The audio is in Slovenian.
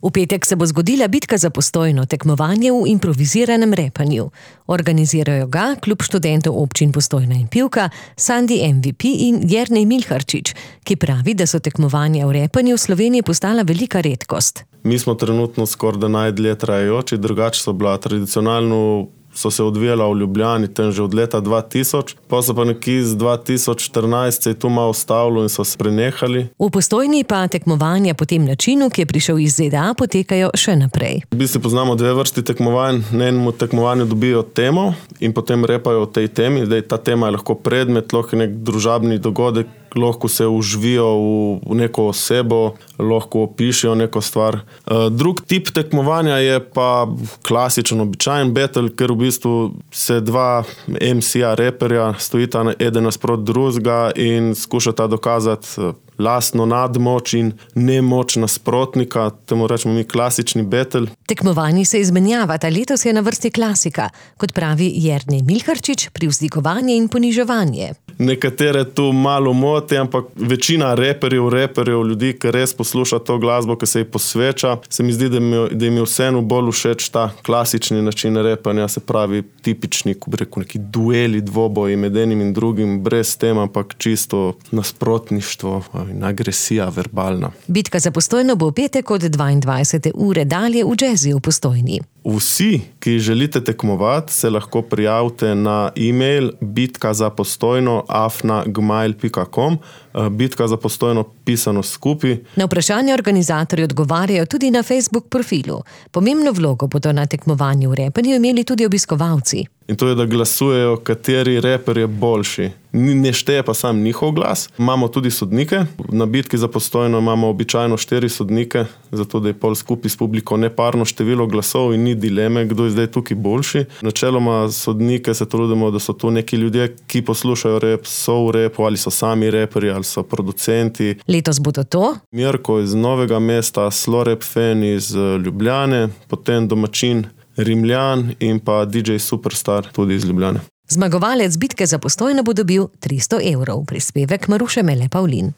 V petek se bo zgodila bitka za Postojno, tekmovanje v improviziranem repanju. Organizirajo ga Klub študentov občin Postojna in Pivka, Sandi MVP in Jernej Milharčič, ki pravi, da so tekmovanja v repanju v Sloveniji postala velika redkost. Mi smo trenutno skoraj najdlje trajajoči, drugače so bila tradicionalno so se odvijala v Ljubljani tam že od leta 2000, pa so pa nekje z 2014 se je tu malo ustavilo in so se prenehali. V Postojni pa tekmovanja po tem načinu, ki je prišel iz ZDA, potekajo še naprej. V bistvu poznamo dve vrsti tekmovanj. Na enem tekmovanju dobijo temo in potem repajo o tej temi. Zdaj, ta tema je lahko predmet, lahko nek družabni dogodek, lahko se užvijo v neko osebo, lahko opišejo neko stvar. Drug tip tekmovanja je pa klasičen, običajen battle, ker v bistvu se dva MC-ja, reperja stojita eden nasprot drugega in skušata dokazati lastno nadmoč in nemoč nasprotnika, temu rečemo mi klasični battle. Tekmovanji se izmenjavata, letos je na vrsti klasika, kot pravi Jernej Milharčič, privzdigovanje in poniževanje. Nekatere tu malo moti, ampak večina reperjev, ljudi, ki res posluša to glasbo, ki se ji posveča, se mi zdi, da jim je vseeno bolj všeč ta klasični način repanja, se pravi tipični, ko bi rekel, neki dueli, dvoboji med enim in drugim, brez tema, ampak čisto nasprotništvo in agresija verbalna. Bitka za Postojno bo v petek od 22. ure dalje v Džeziju v Postojni. Vsi, ki želite tekmovati, se lahko prijavite na e-mail bitkazapostojno@gmail.com, Bitka za Postojno pisano skupaj. Na vprašanje organizatorji odgovarjajo tudi na Facebook profilu. Pomembno vlogo bodo na tekmovanju v repanju imeli tudi obiskovalci. In to je, da glasujejo, kateri reper je boljši. Ne šteje pa sam njihov glas. Imamo tudi sodnike. Na bitki za Postojno imamo običajno 4 sodnike, zato da je pol skupaj s publiko neparno število glasov in ni dileme, kdo je zdaj tukaj boljši. Načeloma sodnike se trudimo, da so tu neki ljudje, ki poslušajo rep, so v repu ali so sami reperji ali so producenti. Letos bodo to Mirko iz Novega mesta, Slorep Fen iz Ljubljane, potem domačin Rimljan in pa DJ Superstar tudi iz Ljubljane. Zmagovalec bitke za Postojno bo dobil 300 €, prispevek Maruše Mele Pavlin.